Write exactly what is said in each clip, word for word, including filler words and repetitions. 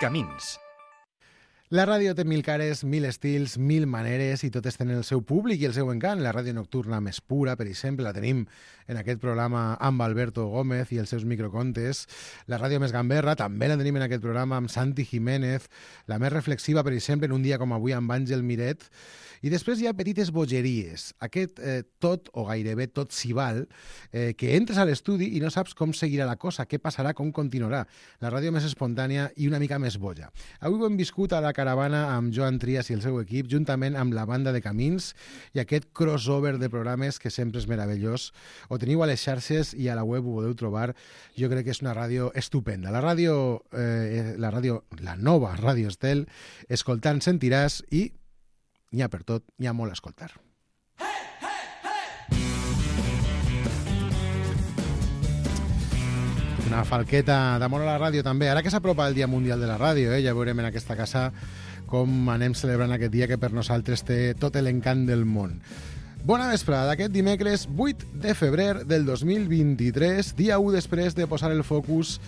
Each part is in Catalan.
Camins. La ràdio té mil cares, mil estils, mil maneres i totes tenen el seu públic i el seu encant. La ràdio nocturna més pura, per exemple, la tenim en aquest programa amb Alberto Gómez i els seus microcontes. La ràdio més gamberra també la tenim en aquest programa amb Santi Jiménez. La més reflexiva, per exemple, en un dia com avui amb Àngel Miret. I després hi ha petites bogeries. Aquest eh, tot o gairebé tot s'hi val, eh, que entres a l'estudi i no saps com seguirà la cosa, què passarà, com continuarà. La ràdio més espontània i una mica més boja. Avui ho hem viscut a la caravana amb Joan Trias i el seu equip, juntament amb la banda de Camins i aquest crossover de programes que sempre és meravellós. Ho teniu a les xarxes i a la web ho podeu trobar. Jo crec que és una ràdio estupenda. La ràdio, eh, la ràdio, la nova Ràdio Estel, escoltant sentiràs i n'hi ha per tot, n'hi ha molt a escoltar. Hey, hey, hey! Una falqueta d'amor a la ràdio també. Ara que s'apropa el Dia Mundial de la Ràdio, eh? Ja veurem en aquesta casa com anem celebrant aquest dia que per nosaltres té tot l'encant del món. Bona vesprada d'aquest dimecres vuit de febrer del dos mil vint-i-tres, dia u després de posar el focus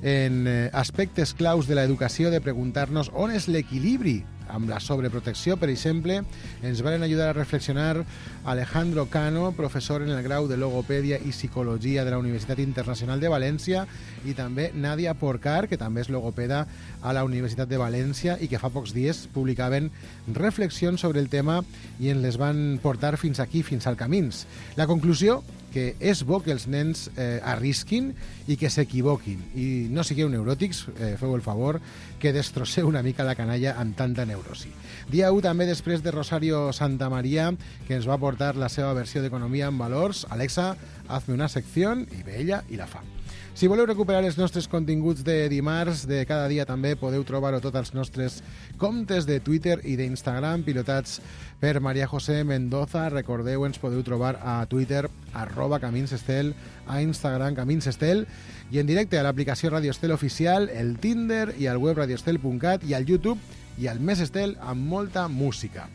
en aspectes claus de l'educació, de preguntar-nos on és l'equilibri amb la sobreprotecció, per exemple. Ens van ajudar a reflexionar Alejandro Cano, professor en el grau de Logopèdia i Psicologia de la Universitat Internacional de València, i també Nadia Porcar, que també és logopeda a la Universitat de València i que fa pocs dies publicaven reflexions sobre el tema i ens les van portar fins aquí, fins al Camins. La conclusió, que és bo que els nens eh, arrisquin i que s'equivoquin. I no sigueu neuròtics, eh, feu el favor, que destrosseu una mica la canalla amb tanta neurosi. Dia u també després de Rosario Santamaría, que ens va portar la seva versió d'Economia en Valors. Alexa, hazme una secció, i ve ella i la fa. Si voleu recuperar els nostres continguts de dimarts, de cada dia també, podeu trobar-ho tots els nostres comptes de Twitter i d'Instagram, pilotats per María José Mendoza. Recordeu, ens podeu trobar a Twitter, arroba Camins Estel, a Instagram Camins Estel, i en directe a l'aplicació Radio Estel Oficial, el Tinder i al web radioestel punt cat i al YouTube i al Més Estel amb molta música.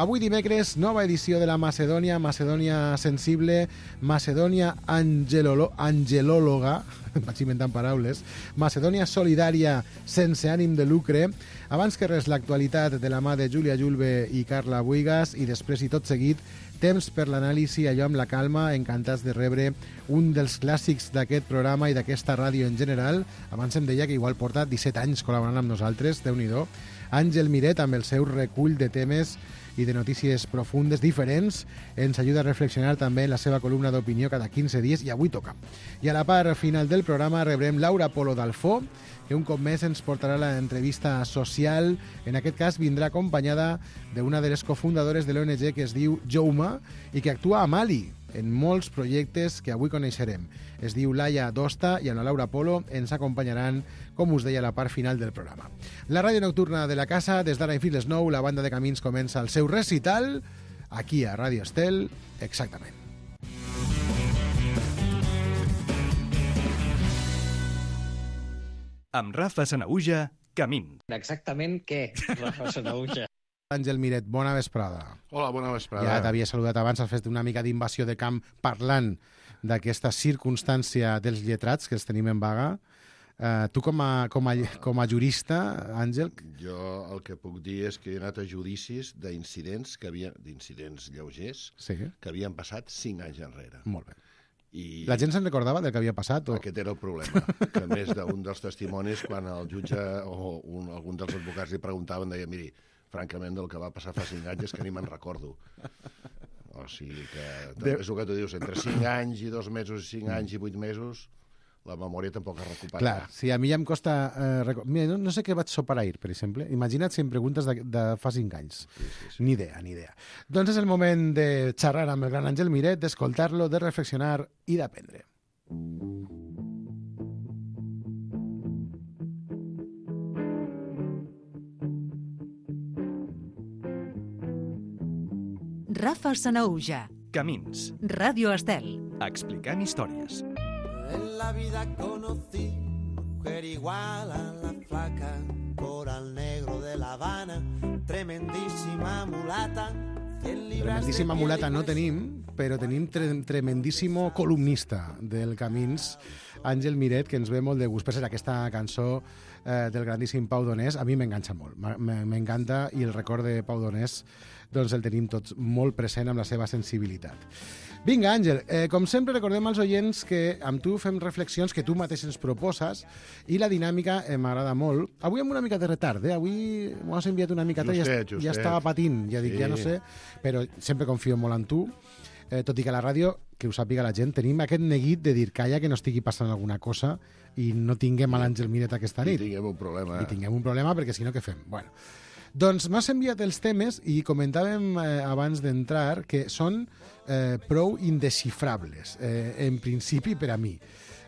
Avui dimecres, nova edició de la Macedònia, Macedònia sensible, Macedònia angelolo, angelòloga, vaig inventant paraules, Macedònia solidària sense ànim de lucre. Abans que res, l'actualitat de la mà de Júlia Julve i Carla Buigas, i després i tot seguit, temps per l'anàlisi, allò amb la calma, encantats de rebre un dels clàssics d'aquest programa i d'aquesta ràdio en general. Abans em deia que igual porta disset anys col·laborant amb nosaltres, Déu-n'hi-do. Àngel Miret, amb el seu recull de temes i de notícies profundes, diferents, ens ajuda a reflexionar també en la seva columna d'opinió cada quinze dies, i avui toca. I a la part final del programa rebrem Laura Polo d'Alfó, que un cop més ens portarà l'entrevista social. En aquest cas vindrà acompanyada d'una de les cofundadores de l'O N G que es diu Jouma i que actua a Mali en molts projectes que avui coneixerem. Es diu Laia Dosta i amb la Laura Polo ens acompanyaran, com us deia, a la part final del programa. La ràdio nocturna de la casa, des d'ara i fins les nou, la banda de Camins comença el seu recital aquí a Ràdio Estel, exactament. Amb Rafa Sanahuja, Camins. Exactament què, Rafa Sanahuja? Àngel Miret, bona vesprada. Hola, bona vesprada. Ja t'havia saludat abans, has fet una mica d'invasió de camp parlant d'aquesta circumstància dels lletrats que els tenim en vaga. Uh, tu com a, com, a, com a jurista, Àngel... Jo el que puc dir és que he anat a judicis d'incidents que havia d'incidents lleugers sí. que havien passat cinc anys enrere. Molt bé. I la gent se'n recordava del que havia passat? O... Aquest era el problema, que més d'un dels testimonis, quan el jutge o un, algun dels advocats li preguntaven, deia, miri, francament, del que va passar fa cinc anys és que ni me'n recordo. O sigui que, de... és el que tu dius, entre cinc anys i dos mesos, cinc anys i vuit mesos, la memòria tampoc es recupera. Clar, sí, a mi ja em costa... Eh, record... Mira, no, no sé què vaig sopar ahir, per exemple. Imagina't si em preguntes de, de fa cinc anys. Sí, sí, sí. Ni idea, ni idea. Doncs és el moment de xerrar amb el gran Àngel Miret, d'escoltar-lo, de reflexionar i d'aprendre. Rafa Sanahuja. Camins. Ràdio Estel. Explicant històries. En la vida conocí mujer igual a la flaca, coral negro de La Habana, tremendísima mulata. Tremendíssima mulata no tenim, però tenim tre tremendíssimo columnista del Camins, Àngel Miret, que ens ve molt de gust. Per ser aquesta cançó eh, del grandíssim Pau Donés, a mi m'enganxa molt. M'encanta, i el record de Pau Donés doncs el tenim tots molt present amb la seva sensibilitat. Vinga, Àngel, eh, com sempre recordem als oients que amb tu fem reflexions que tu mateix ens proposes i la dinàmica eh, m'agrada molt. Avui amb una mica de retard, eh? Avui m'ho has enviat una mica, Justet, ja, justet. ja estava patint, ja dic, Sí. ja no sé, però sempre confio molt en tu, eh, tot i que a la ràdio, que ho sàpiga la gent, tenim aquest neguit de dir calla, que no estigui passant alguna cosa i no tinguem a l'Àngel Miret aquesta I nit. tinguem un problema. I tinguem un problema, perquè si no, què fem? Bueno, doncs m'has enviat els temes i comentàvem eh, abans d'entrar que són eh, prou indesxifrables, eh, en principi per a mi.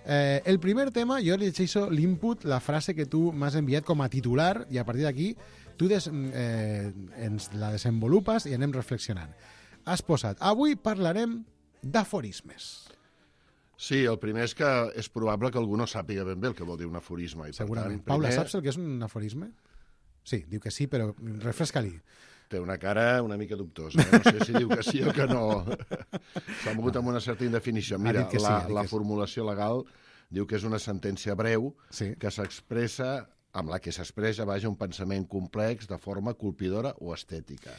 Eh, el primer tema, jo llegeixo l'input, la frase que tu m'has enviat com a titular, i a partir d'aquí tu des, eh, ens la desenvolupes i anem reflexionant. Has posat, avui parlarem d'aforismes. Sí, el primer és que és probable que algú no sàpiga ben bé el que vol dir un aforisme. I, per Segurament. tant, Paula, primer, saps el que és un aforisme? Sí, diu que sí, però refresca-li. Té una cara una mica dubtosa. Eh? No sé si diu que sí o que no. S'ha mogut amb una certa indefinició. Ha Mira, dit que sí, la, ha dit la que sí. formulació legal diu que és una sentència breu Sí. que s'expressa, amb la que s'expressa, vaja, un pensament complex de forma colpidora o estètica.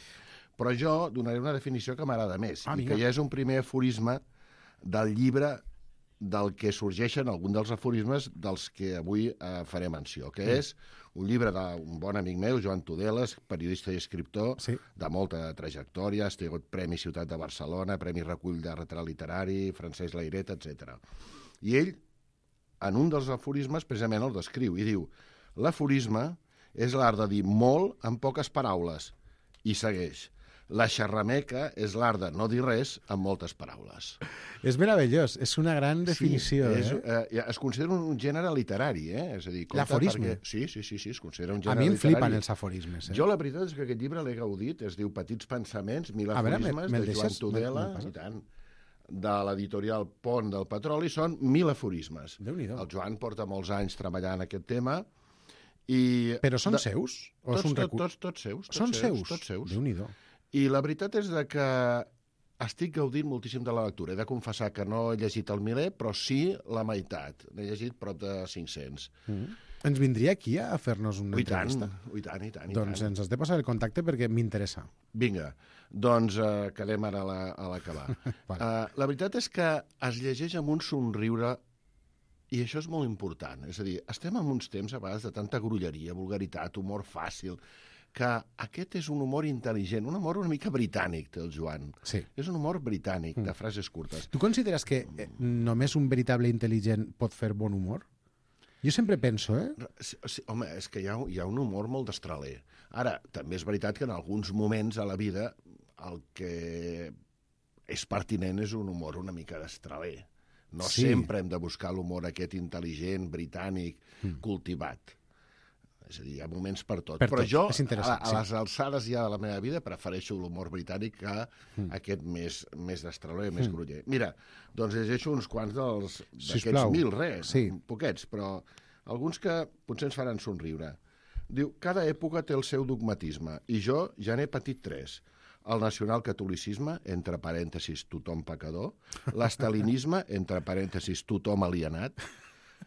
Però jo donaré una definició que m'agrada més, Ah, i vinga. que ja és un primer aforisme del llibre del que sorgeixen alguns dels aforismes dels que avui eh, faré menció, que Mm. és un llibre d'un bon amic meu, Joan Tudeles, periodista i escriptor, Sí. de molta trajectòria, ha tingut Premi Ciutat de Barcelona, Premi Recull de Retrat Literari, Francesc Layret, etcètera. I ell, en un dels aforismes, precisament el descriu, i diu: l'aforisme és l'art de dir molt en poques paraules, i segueix: la xerrameca és l'art de no dir res amb moltes paraules. És meravellós, és una gran definició. Sí, és, eh? eh, es considera un gènere literari, eh? És a dir, compte L'aforisme? perquè- Sí, sí, sí, sí, es considera un A gènere mi em literari. flipen els aforismes. Eh? Jo la veritat és que aquest llibre l'he gaudit, es diu Petits pensaments, mil A veure, aforismes, me- me'l de Joan deixes? Tudela, Me- me passa? i tant, de l'editorial Pont del Petroli, són mil aforismes. Déu-n'hi-do. El Joan porta molts anys treballant aquest tema i... Però són de- seus? O Tots, és un tots, recu- tots, tots seus. Tots Són seus? Tots seus. Déu-n'hi-do. I la veritat és de que estic gaudint moltíssim de la lectura. He de confessar que no he llegit el miler, però sí la meitat. N'he llegit prop de cinc-cents. Mm. Ens vindria aquí a fer-nos una I tant, entrevista? i tant, i tant. I Doncs tant. ens has de passar el contacte perquè m'interessa. Vinga, doncs uh, quedem ara a la- a l'acabar. Vale. uh, la veritat és que es llegeix amb un somriure, i això és molt important. És a dir, estem en uns temps a vegades de tanta grolleria, vulgaritat, humor fàcil, que aquest és un humor intel·ligent, un humor una mica britànic, té el Joan. Sí. És un humor britànic, de frases curtes. Tu consideres que eh, només un veritable intel·ligent pot fer bon humor? Jo sempre penso, eh? Sí, sí, home, és que hi ha, hi ha un humor molt destraler. Ara, també és veritat que en alguns moments a la vida el que és pertinent és un humor una mica destraler. No Sí. sí. sempre hem de buscar l'humor aquest intel·ligent, britànic, mm. cultivat. És a dir, hi ha moments per tot. Per Però tot, jo, és interessant, a, a les alçades ja de la meva vida, prefereixo l'humor britànic que mm. aquest més, més destraler, més mm. groller. Mira, doncs llegeixo uns quants dels d'aquests Sisplau. mil, res, Sí. poquets, però alguns que potser ens faran somriure. Diu, cada època té el seu dogmatisme, i jo ja n'he patit tres. El nacionalcatolicisme, entre parèntesis, tothom pecador, l'estalinisme, entre parèntesis, tothom alienat,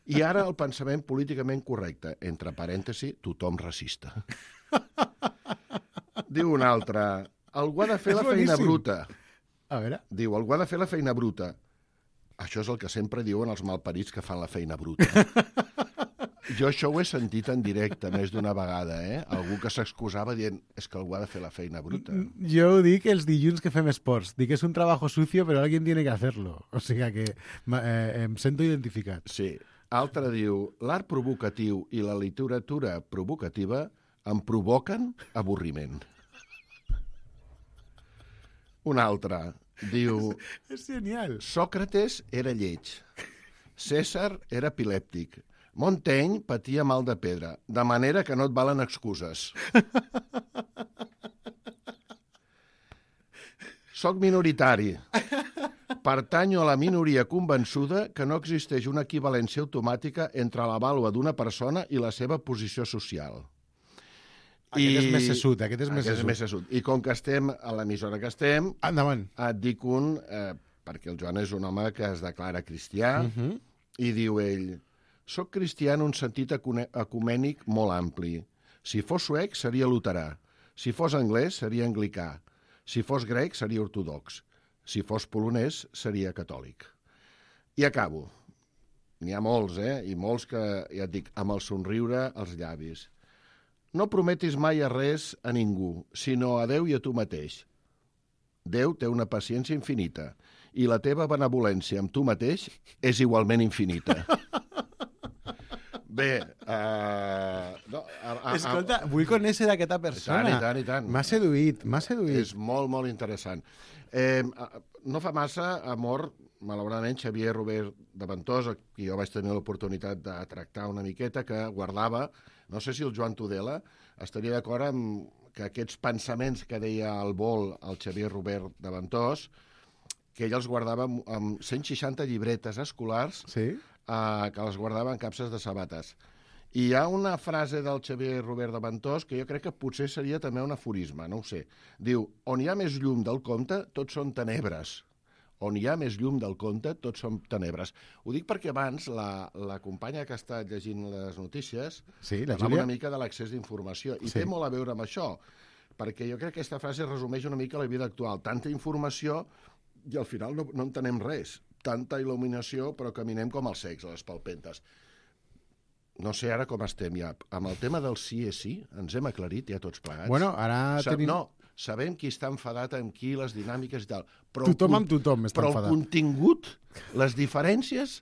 i ara el pensament políticament correcte, entre parèntesis, tothom racista. Diu un altre, algú ha de fer És la feina boníssim. bruta. A veure... Diu, algú ha de fer la feina bruta. Això és el que sempre diuen els malparits que fan la feina bruta. Jo això ho he sentit en directe més d'una vegada, eh? Algú que s'excusava dient, és que algú ha de fer la feina bruta. Jo ho dic els dilluns que fem esports. Dic que és un trabajo sucio, però alguien tiene que hacerlo. O sigui que eh, em sento identificat. Sí. Altre diu, l'art provocatiu i la literatura provocativa em provoquen avorriment. Un altre diu, És genial. Sòcrates era lleig, Cèsar era epilèptic, Montaigne patia mal de pedra, de manera que no et valen excuses. Soc minoritari. Pertanyo a la minoria convençuda que no existeix una equivalència automàtica entre la vàlua d'una persona i la seva posició social. Aquest és més sessut, aquest és més Aquest és sessut. més sessut. I com que estem a l'emissora que estem, Endavant. et dic un, eh, perquè el Joan és un home que es declara cristià, Uh -huh. I diu ell, soc cristià en un sentit ecumènic molt ampli. Si fos suec, seria luterà. Si fos anglès, seria anglicà. Si fos grec, seria ortodox. Si fos polonès, seria catòlic. I acabo. N'hi ha molts, eh? I molts que, ja et dic, amb el somriure als llavis. No prometis mai a res a ningú, sinó a Déu i a tu mateix. Déu té una paciència infinita i la teva benevolència amb tu mateix és igualment infinita. Bé, uh, no, a, a, Escolta, vull conèixer aquesta persona. I tant, i tant, i tant. M'ha seduït, m'ha seduït. És molt, molt interessant. Eh, no fa massa ha mort, malauradament, Xavier Robert de Ventós, qui jo vaig tenir l'oportunitat de tractar una miqueta, que guardava, no sé si el Joan Tudela estaria d'acord amb que aquests pensaments que deia al vol el Xavier Robert de Ventós, que ell els guardava amb cent seixanta llibretes escolars, Sí? Uh, que les guardava en capses de sabates. I hi ha una frase del Xavier Robert de Ventós que jo crec que potser seria també un aforisme, no ho sé. Diu, on hi ha més llum del compte, tots són tenebres. On hi ha més llum del compte, tots són tenebres. Ho dic perquè abans la, la companya que ha estat llegint les notícies Sí, la parlava Júlia. una mica de l'accés d'informació, i Sí. té molt a veure amb això, perquè jo crec que aquesta frase resumeix una mica la vida actual. Tanta informació i al final no, no entenem res. Tanta il·luminació, però caminem com els cecs a les palpentes. No sé ara com estem ja. Amb el tema del sí és sí, ens hem aclarit ja tots plegats. Bueno, ara Sa tenim... No, sabem qui està enfadat amb qui, les dinàmiques i tal. Però Tothom el, amb tothom està però enfadat. el contingut, les diferències,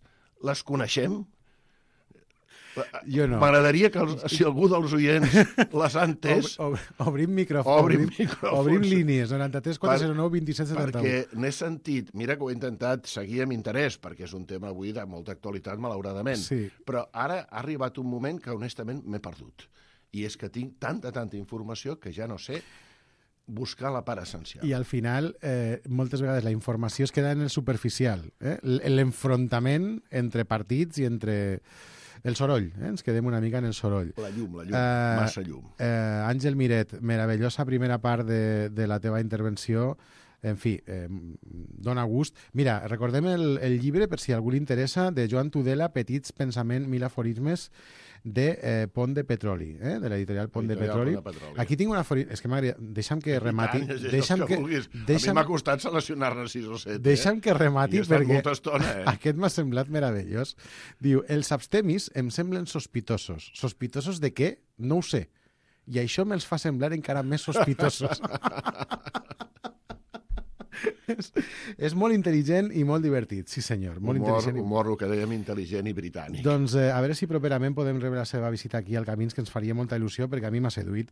les coneixem? Jo no. M'agradaria que els, si algú dels oients les ha entès, Ob, ob, obrim micròfon. Obrim Obrim, micròfons. obrim línies. noranta-tres quatre zero nou vint set setanta u. perquè n'he sentit, mira que ho he intentat seguir amb interès, perquè és un tema avui de molta actualitat, malauradament, Sí. però ara ha arribat un moment que honestament m'he perdut. I és que tinc tanta, tanta informació que ja no sé buscar la part essencial. I al final, eh, moltes vegades la informació es queda en el superficial. Eh? L'enfrontament entre partits i entre el soroll. Eh? Ens quedem una mica en el soroll. La llum, la llum, Eh, massa llum. Eh, Àngel Miret, meravellosa primera part de, de la teva intervenció. En fi, eh, dona gust. Mira, recordem el, el llibre, per si a algú li interessa, de Joan Tudela, Petits pensament, mil aforismes, de eh, Pont de Petroli, eh? de l'editorial Pont de Editorial Petroli. Pont de Petroli. Aquí tinc una aforisme... És que m'agradaria... Deixa'm que remati... I tant, és deixa'm el que, vulguis. deixa'm, A mi m'ha costat seleccionar-ne sis o set. deixa'm eh? que remati I he estat perquè molta estona, eh? aquest m'ha semblat meravellós. Diu, els abstemis em semblen sospitosos. Sospitosos de què? No ho sé. I això me'ls fa semblar encara més sospitosos. és, és molt intel·ligent i molt divertit, sí senyor. Molt Humor, intel·ligent. i- humor, el que dèiem, intel·ligent i britànic. Doncs eh, a veure si properament podem rebre la seva visita aquí al Camins, que ens faria molta il·lusió, perquè a mi m'ha seduït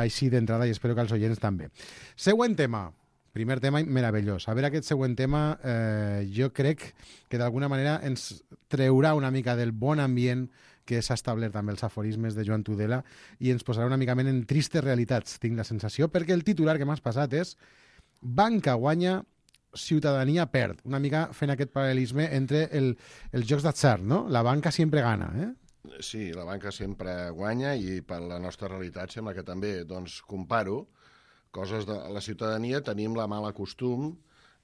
així d'entrada i espero que els oients també. Següent tema. Primer tema meravellós. A veure, aquest següent tema eh, jo crec que d'alguna manera ens treurà una mica del bon ambient que s'ha establert amb els aforismes de Joan Tudela i ens posarà una mica més en tristes realitats, tinc la sensació, perquè el titular que m'has passat és Banca guanya, ciutadania perd. Una mica fent aquest paral·lelisme entre el, els jocs d'atzar, no? La banca sempre gana, eh? Sí, la banca sempre guanya i per la nostra realitat sembla que també, doncs, comparo coses de la ciutadania, tenim la mala costum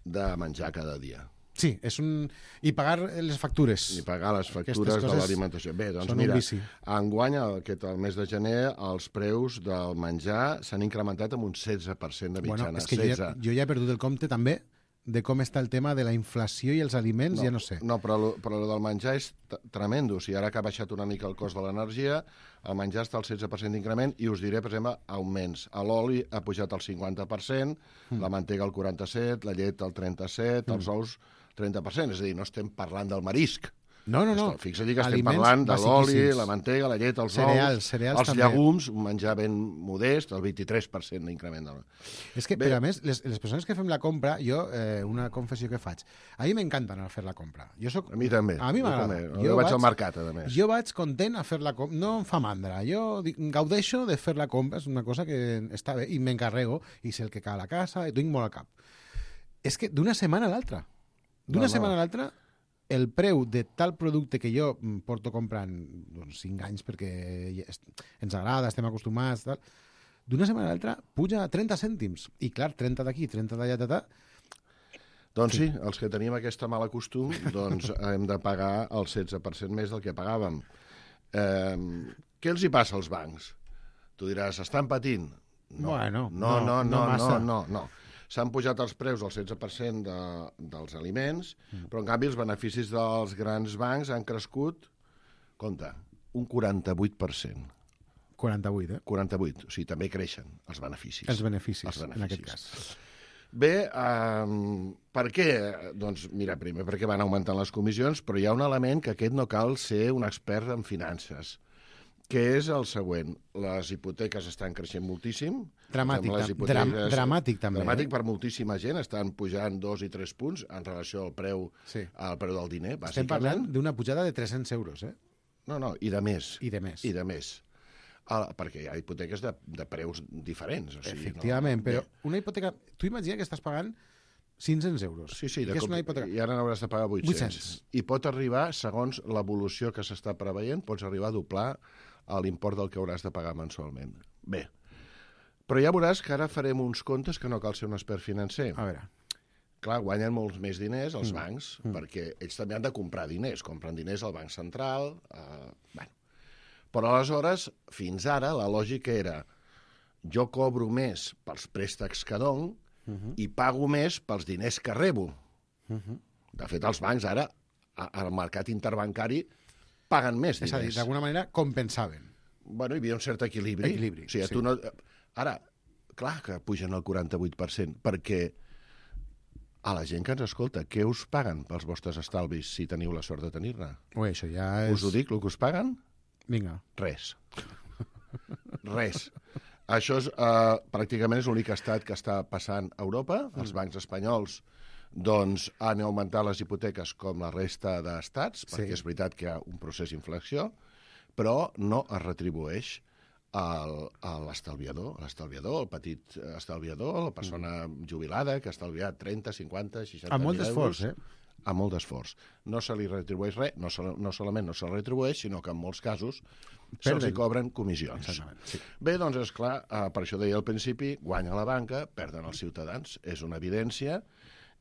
de menjar cada dia Sí, és un... I pagar les factures. i pagar les factures Aquestes de coses l'alimentació. Bé, doncs són un mira, vici. enguany, aquest, el mes de gener, els preus del menjar s'han incrementat amb un setze per cent de mitjana. Bueno, és que jo ja, jo ja he perdut el compte també de com està el tema de la inflació i els aliments, ja no sé. No, però, lo, però lo del menjar és t- tremendo. O sigui, ara que ha baixat una mica el cost de l'energia, el menjar està al setze per cent d'increment i us diré, per exemple, augments. L'oli ha pujat al cinquanta per cent, mm. la mantega al quaranta-set per cent, la llet al trenta-set per cent, mm. els ous trenta per cent. És a dir, no estem parlant del marisc. No, no, no. Fixa't que estem Aliments parlant de l'oli, basiquíssims. la mantega, la llet, els Cereals, ous, cereals els també. llegums, un menjar ben modest, el vint-i-tres per cent d'increment. Del... És que, Bé. però a més, les, les persones que fem la compra, jo, eh, una confessió que faig, a mi m'encanta anar a fer la compra. Jo soc... A mi també. A mi Jo m'agrada. també. Jo vaig al mercat, a més. Jo vaig content a fer la compra. No em fa mandra. Jo dic, gaudeixo de fer la compra. És una cosa que està bé i m'encarrego i sé el que cal a casa i tinc molt al cap. És que d'una setmana a l'altra. D'una No, no. setmana a l'altra el preu de tal producte que jo mm, porto comprant doncs, cinc anys perquè ja est- ens agrada, estem acostumats, tal, d'una setmana a l'altra puja a trenta cèntims. I clar, trenta d'aquí, trenta d'allà, tal, tal. Doncs sí, els que tenim aquesta mala costum, doncs hem de pagar el setze per cent més del que pagàvem. Eh, què els hi passa als bancs? Tu diràs, estan patint? No, Bueno, no, no, no, no no, massa. no, no, no. S'han pujat els preus al setze per cent de, dels aliments, mm. però en canvi els beneficis dels grans bancs han crescut, compte, un quaranta-vuit per cent. quaranta-vuit, eh? quaranta-vuit, o sigui, també creixen els beneficis. Els beneficis, els beneficis. en aquest cas. Bé, um, per què? Doncs mira, primer perquè van augmentant les comissions, però hi ha un element que aquest no cal ser un expert en finances, que és el següent. Les hipoteques estan creixent moltíssim. Dramàtic, Les tam- dram- dramàtic també, Dramàtic eh? per moltíssima gent, estan pujant dos i tres punts en relació al preu, Sí. al preu del diner, Estem bàsicament. parlant d'una pujada de tres-cents euros, eh? No, no, i de més. I de més. I de més. Ah, perquè hi ha hipoteques de, de preus diferents. O sigui, Efectivament, no... però Bé, una hipoteca... Tu imagina que estàs pagant cinc-cents euros. Sí, sí, I de que és cop, una hipoteca... i ara n'hauràs de pagar vuit-cents. vuit-cents. I pot arribar, segons l'evolució que s'està preveient, pots arribar a doblar l'import del que hauràs de pagar mensualment. Bé, però ja veuràs que ara farem uns comptes que no cal ser un expert financer. A veure, Clar, guanyen molts més diners els Mm. bancs, perquè ells també han de comprar diners. Compren diners al Banc Central... Eh, bueno. Però aleshores, fins ara, la lògica era jo cobro més pels préstecs que dono Mhm. i pago més pels diners que rebo. Mhm. De fet, els bancs ara, a- al mercat interbancari, paguen més és a dir, diners. d'alguna manera compensaven. Bueno, hi havia un cert equilibri. Equilibri, o sigui, sí. tu no... Ara, clar que pugen el quaranta-vuit per cent, perquè a la gent que ens escolta, què us paguen pels vostres estalvis si teniu la sort de tenir-ne? Ui, això ja és... Us ho dic, el que us paguen? Vinga. Res. Res. Això és, eh, pràcticament és l'únic estat que està passant a Europa. Els bancs espanyols doncs, han augmentat les hipoteques com la resta d'estats, Sí. perquè és veritat que hi ha un procés d'inflació, però no es retribueix al- a l'estalviador, l'estalviador, el petit estalviador, la persona jubilada que ha estalviat trenta, cinquanta, seixanta Amb mil molt euros. d'esforç, eh? Amb molt d'esforç. No se li retribueix res, no, sol, no solament no se li retribueix, sinó que en molts casos se'ls hi Perden. cobren comissions. Exactament, sí. Bé, doncs, és clar, eh, per això deia al principi, guanya la banca, perden els ciutadans, és una evidència,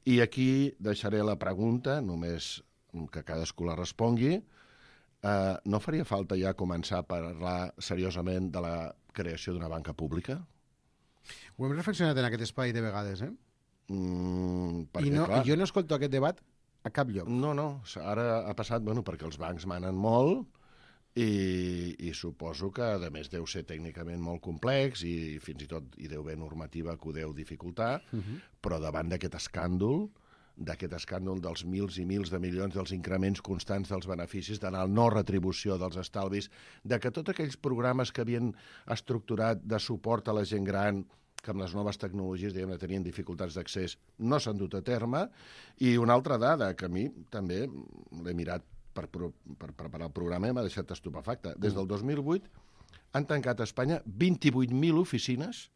i aquí deixaré la pregunta, només que cadascú la respongui. Eh, no faria falta ja començar a parlar seriosament de la creació d'una banca pública? Ho hem reflexionat en aquest espai de vegades, eh? Mm, perquè, I, no, clar, I jo no escolto aquest debat a cap lloc. No, no, ara ha passat, bueno, perquè els bancs manen molt i, i suposo que, a més, deu ser tècnicament molt complex i fins i tot hi deu haver normativa que ho deu dificultar, Uh -huh. però davant d'aquest escàndol, d'aquest escàndol dels mils i mils de milions, dels increments constants dels beneficis, de la no retribució dels estalvis, de que tots aquells programes que havien estructurat de suport a la gent gran, que amb les noves tecnologies diguem, tenien dificultats d'accés, no s'han dut a terme. I una altra dada, que a mi també l'he mirat per, pro, per preparar el programa i m'ha deixat estupefacte. Des del dos mil vuit han tancat a Espanya vint-i-vuit mil oficines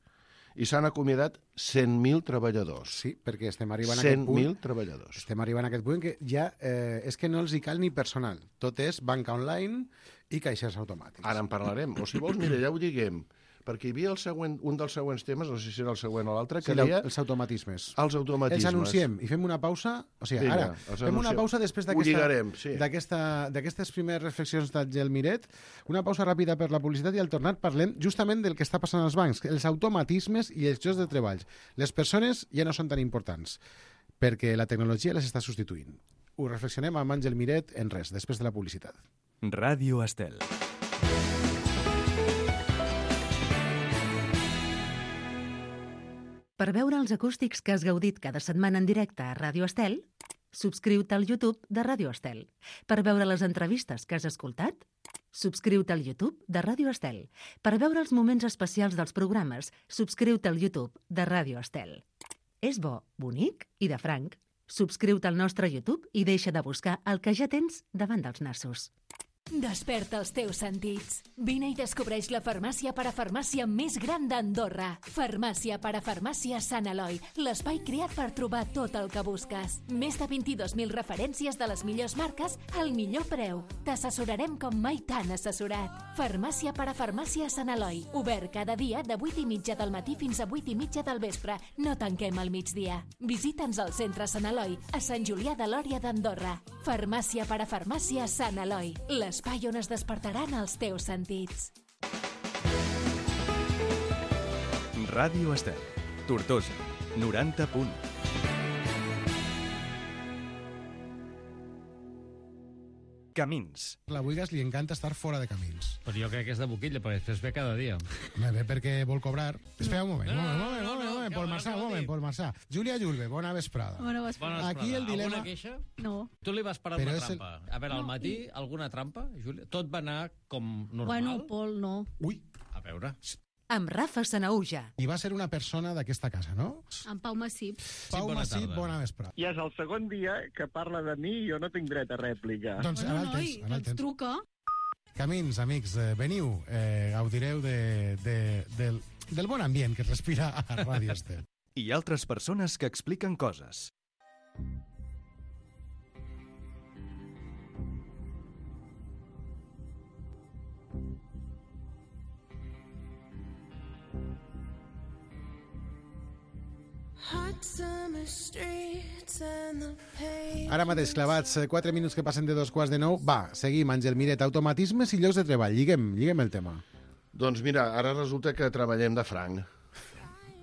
i s'han acomiadat cent mil treballadors. Sí, perquè estem arribant a aquest cent punt... mil treballadors. Estem arribant a aquest punt que ja eh, és que no els hi cal ni personal. Tot és banca online i caixers automàtics. Ara en parlarem. O si vols, mira, ja ho diguem, perquè hi havia el següent, un dels següents temes, no sé si era el següent o l'altre, que Sí, deia els automatismes. els automatismes. Els anunciem i fem una pausa. O sigui, Vinga, ara, els fem una anunciem. pausa després Ho d'aquesta- lligarem, sí. d'aquesta- d'aquestes primeres reflexions d'Àngel Miret. Una pausa ràpida per la publicitat i al tornar parlem justament del que està passant als bancs, els automatismes i els llocs de treball. Les persones ja no són tan importants perquè la tecnologia les està substituint. Ho reflexionem amb Àngel Miret en res, després de la publicitat. Ràdio Estel. Per veure els acústics que has gaudit cada setmana en directe a Ràdio Estel, subscriu-te al YouTube de Ràdio Estel. Per veure les entrevistes que has escoltat, subscriu-te al YouTube de Ràdio Estel. Per veure els moments especials dels programes, subscriu-te al YouTube de Ràdio Estel. És bo, bonic i de franc. Subscriu-te al nostre YouTube i deixa de buscar el que ja tens davant dels nassos. Desperta els teus sentits. Vine i descobreix la farmàcia parafarmàcia més gran d'Andorra. Farmàcia parafarmàcia Sant Eloi, l'espai creat per trobar tot el que busques. Més de vint-i-dos mil referències de les millors marques al millor preu. T'assessorarem com mai t'han assessorat. Farmàcia parafarmàcia Sant Eloi, obert cada dia de vuit i mitja del matí fins a vuit i mitja del vespre. No tanquem al migdia. Visita'ns al centre Sant Eloi, a Sant Julià de Lòria d'Andorra. Farmàcia parafarmàcia Sant Eloi, l'espai on es despertaran els teus sentits. Ràdio Estel, Tortosa, noranta punt. Camins. La Buigas li encanta estar fora de camins. Però jo crec que és de boquilla, perquè després ve cada dia. Me ve perquè vol cobrar. Espera un moment, No, un moment, no, un moment, no, un no, moment, que Pol abans Marçà, ho un moment, dic. Pol Marçà. Júlia Julve, bona vesprada. Bona vesprada. Bona Aquí vesprada. el dilema- Alguna queixa? No. Tu li vas parar Però una és el- trampa. A veure, al No, matí, i- alguna trampa, Júlia? Tot va anar com normal? Bueno, Pol, no. Ui, A veure. Amb Rafa Sanauja. i va ser una persona d'aquesta casa, no? En Pau Massip. Pau bona Massip, tarda. bona vesprada. Ja és el segon dia que parla de mi i jo no tinc dret a rèplica. Doncs ara Bueno, el noi, tens, ara el ens tens. truca. Camins, amics, eh, veniu, eh, gaudireu de, de, del, del bon ambient que es respira a Ràdio Estel. I altres persones que expliquen coses. Ara mateix, clavats, eh, quatre minuts que passen de dos quarts de nou. Va, seguim, Àngel Miret. Automatismes i llocs de treball. Lliguem, lliguem el tema. Doncs mira, ara resulta que treballem de franc.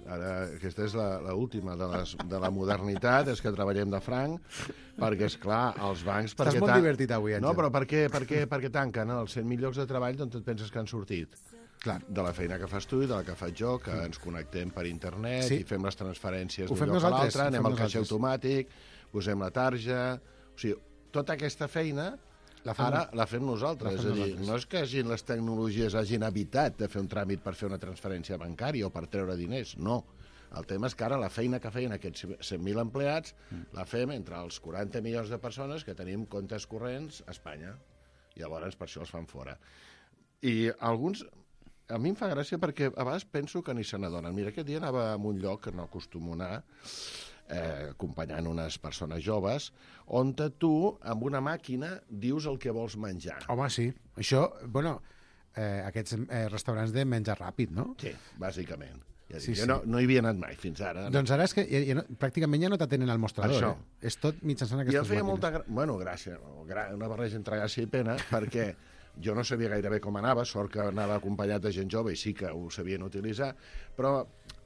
Ara, aquesta és la, la última de, les, de la modernitat, és que treballem de franc, perquè, és clar, els bancs... Estàs perquè molt tan- divertit avui, Àngel. No, però per què, per què, per què tanquen els cent mil llocs de treball d'on et penses que han sortit? Clar. De la feina que fas tu i de la que faig jo, que ens connectem per internet Sí. i fem les transferències Ho d'un fem lloc a nosaltres, l'altre, ho anem fem al caixer nosaltres. automàtic, posem la tarja... O sigui, tota aquesta feina La fem- ara la fem nosaltres. la fem és a dir, nosaltres. no és que hagin, les tecnologies hagin evitat de fer un tràmit per fer una transferència bancària o per treure diners, no. El tema és que ara la feina que feien aquests cent mil empleats la fem entre els quaranta milions de persones que tenim comptes corrents a Espanya. Llavors, per això els fan fora. I alguns... A mi em fa gràcia perquè a vegades penso que ni se n'adonen. Mira, aquest dia anava a un lloc que no acostumo a anar, eh, acompanyant unes persones joves, on tu, amb una màquina, dius el que vols menjar. Home, sí. Això, bueno, eh, aquests eh, restaurants de menjar ràpid, no? Sí, bàsicament. Ja Sí, dic, jo sí. no, no hi havia anat mai fins ara. No? Doncs ara és que ja, ja no, pràcticament ja no t'atenen al mostrador. Això. Eh? És tot mitjançant I aquestes em feia màquines. molta... Gra... Bueno, gràcia, o gra... una barreja entre gràcia i pena, perquè jo no sabia gairebé com anava, sort que anava acompanyat de gent jove i sí que ho sabien utilitzar, però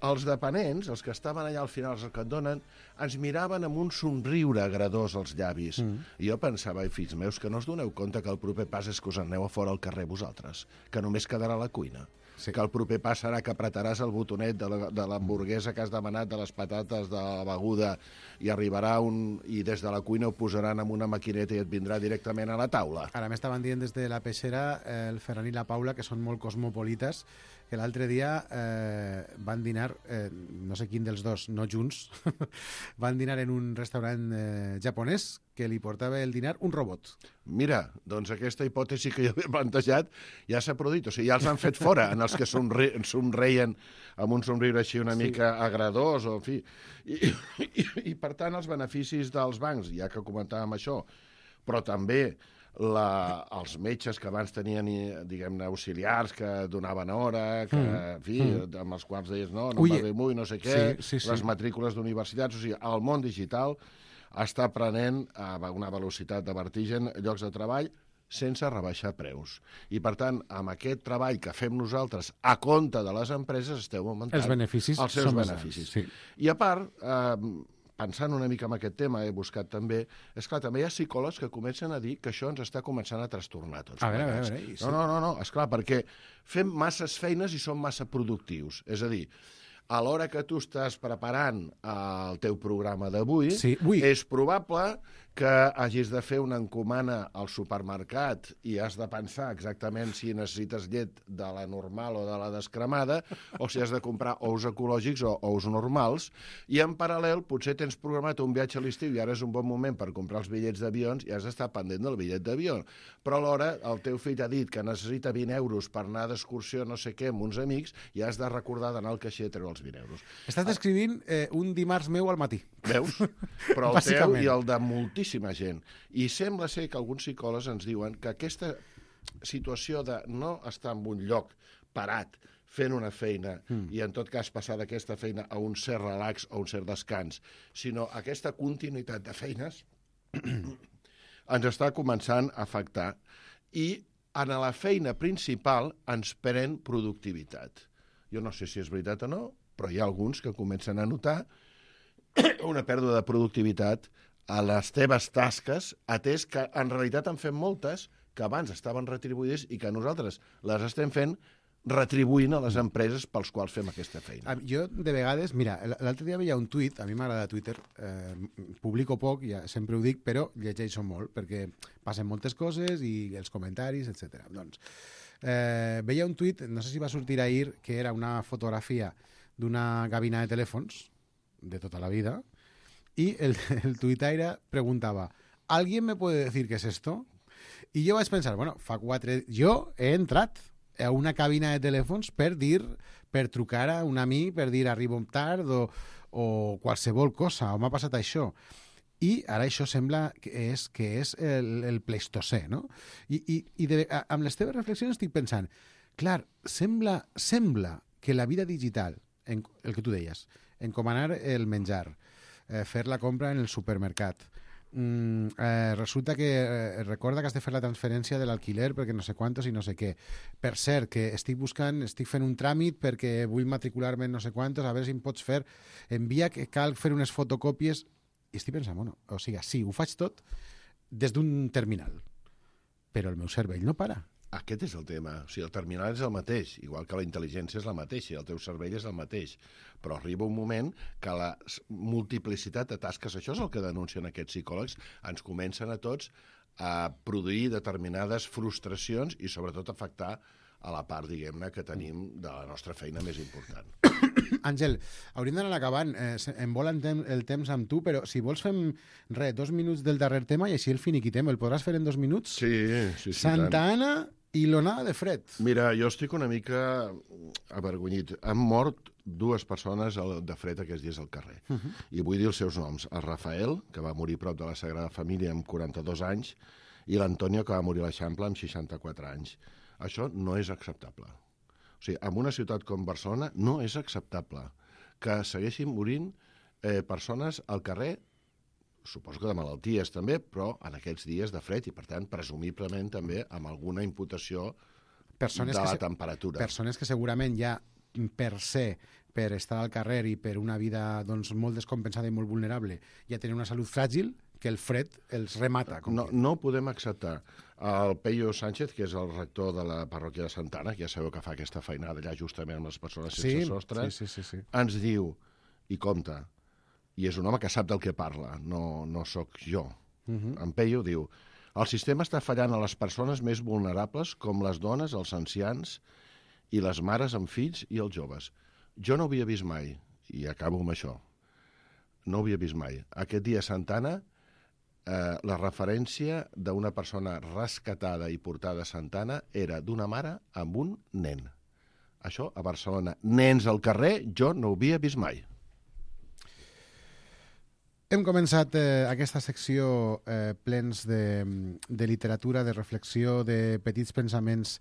els dependents, els que estaven allà al final, els que et donen, ens miraven amb un somriure agradós als llavis. Mm. I jo pensava, ai, fills meus, que no us doneu compte que el proper pas és que us aneu a fora al carrer vosaltres, que només quedarà a la cuina. Sí. Que el proper pas serà que apretaràs el botonet de la- de l'hamburguesa que has demanat, de les patates, de la beguda, i arribarà un... i des de la cuina ho posaran en una maquineta i et vindrà directament a la taula. Ara m'estaven dient des de la peixera eh, el Ferran i la Paula, que són molt cosmopolites, que l'altre dia eh, van dinar, eh, no sé quin dels dos, no junts, van dinar en un restaurant eh, japonès que li portava el dinar un robot. Mira, doncs aquesta hipòtesi que jo havia plantejat ja s'ha produït, o sigui, ja els han fet fora, en els que somri somreien amb un somriure així una Sí. mica agradós, o en fi. I, i, I, per tant, els beneficis dels bancs, ja que comentàvem això, però també la, els metges que abans tenien, diguem-ne, auxiliars que donaven hora, que, Mm. en fi, Mm. amb els quals deies, no, no Ui, em va bé molt, no sé què, sí, sí, sí. les matrícules d'universitats, o sigui, el món digital està prenent a una velocitat de vertigen llocs de treball sense rebaixar preus. I, per tant, amb aquest treball que fem nosaltres a compte de les empreses, esteu augmentant Els beneficis els seus són més beneficis. grans, I, a part, eh, pensant una mica en aquest tema, he buscat també, és clar, també hi ha psicòlegs que comencen a dir que això ens està començant a trastornar tots A veure, a plegats. veure, i sí. No, no, no, no, esclar, perquè fem masses feines i som massa productius. És a dir, a l'hora que tu estàs preparant el teu programa d'avui, Sí, ui. és probable que hagis de fer una encomana al supermercat i has de pensar exactament si necessites llet de la normal o de la descremada, o si has de comprar ous ecològics o ous normals, i en paral·lel potser tens programat un viatge a l'estiu i ara és un bon moment per comprar els bitllets d'avions i has d'estar pendent del bitllet d'avió. Però alhora el teu fill ha dit que necessita vint euros per anar d'excursió no sé què amb uns amics i has de recordar d'anar al caixer a treure els vint euros. Estàs descrivint eh, un dimarts meu al matí. Veus? Però el teu i el de moltíssima gent. I sembla ser que alguns psicòlegs ens diuen que aquesta situació de no estar en un lloc parat fent una feina mm. i en tot cas passar d'aquesta feina a un cert relax o un cert descans, sinó aquesta continuïtat de feines ens està començant a afectar i en la feina principal ens pren productivitat. Jo no sé si és veritat o no, però hi ha alguns que comencen a notar una pèrdua de productivitat a les teves tasques, atès que en realitat en fem moltes que abans estaven retribuïdes i que nosaltres les estem fent retribuint a les empreses pels quals fem aquesta feina. Jo, de vegades, mira, l'altre dia veia un tuit, a mi m'agrada Twitter, eh, publico poc, ja sempre ho dic, però llegeixo molt, perquè passen moltes coses i els comentaris, etcètera. Doncs, eh, veia un tuit, no sé si va sortir ahir, que era una fotografia d'una gavina de telèfons, de tota la vida, y el, el tuitaire preguntaba, ¿alguien me puede decir qué es esto? Y yo vaig pensar, bueno, fa quatre... Jo he entrat a una cabina de telèfons per dir, per trucar a un amic, per dir arribo tard o, o qualsevol cosa, o m'ha passat això. I ara això sembla que és, que és el, el Pleistocè, no? I, i, i de, amb les teves reflexions estic pensant, clar, sembla, sembla que la vida digital, en, el que tu deies, encomanar el menjar, eh, fer la compra en el supermercat, mm, eh, resulta que eh, recorda que has de fer la transferència de l'alquiler perquè no sé quantos i no sé què. Per cert, que estic buscant, estic fent un tràmit perquè vull matricular-me en no sé quantos, a veure si em pots fer, envia que cal fer unes fotocòpies. I estic pensant, bueno, o sigui, sí, ho faig tot des d'un terminal, però el meu cervell no para. Aquest és el tema. O sigui, el terminal és el mateix, igual que la intel·ligència és la mateixa, el teu cervell és el mateix. Però arriba un moment que la multiplicitat de tasques, això és el que denuncien aquests psicòlegs, ens comencen a tots a produir determinades frustracions i sobretot afectar a la part, diguem-ne, que tenim de la nostra feina més important. Àngel, hauríem d'anar acabant. Eh, em vol el temps amb tu, però si vols fem, res, dos minuts del darrer tema i així el finiquitem. El podràs fer en dos minuts? Sí, sí, sí. Santa tant. Anna i l'onada de fred. Mira, jo estic una mica avergonyit. Han mort dues persones de fred aquests dies al carrer. Uh -huh. I vull dir els seus noms. El Rafael, que va morir prop de la Sagrada Família amb quaranta-dos anys, i l'Antonio, que va morir a l'Eixample amb seixanta-quatre anys. Això no és acceptable. O sigui, en una ciutat com Barcelona no és acceptable que segueixin morint eh, persones al carrer, suposo que de malalties també, però en aquests dies de fred i, per tant, presumiblement també amb alguna imputació persones de la que temperatura. Persones que segurament ja per ser, per estar al carrer i per una vida doncs, molt descompensada i molt vulnerable, ja tenen una salut fràgil, que el fred els remata. Com no, que... no podem acceptar. El Peyo Sánchez, que és el rector de la parròquia de Santa Anna, que ja sabeu que fa aquesta feinada allà justament amb les persones sense sí, sostre, sí, sí, sí, sí. ens diu, i compta, i és un home que sap del que parla, no, no sóc jo. Uh -huh. En Peyo diu, el sistema està fallant a les persones més vulnerables com les dones, els ancians i les mares amb fills i els joves. Jo no ho havia vist mai, i acabo amb això, no ho havia vist mai. Aquest dia a Santa Anna, eh, la referència d'una persona rescatada i portada a Santa Anna era d'una mare amb un nen. Això a Barcelona. Nens al carrer, jo no ho havia vist mai. Hem començat eh, aquesta secció eh, plens de, de literatura, de reflexió, de petits pensaments,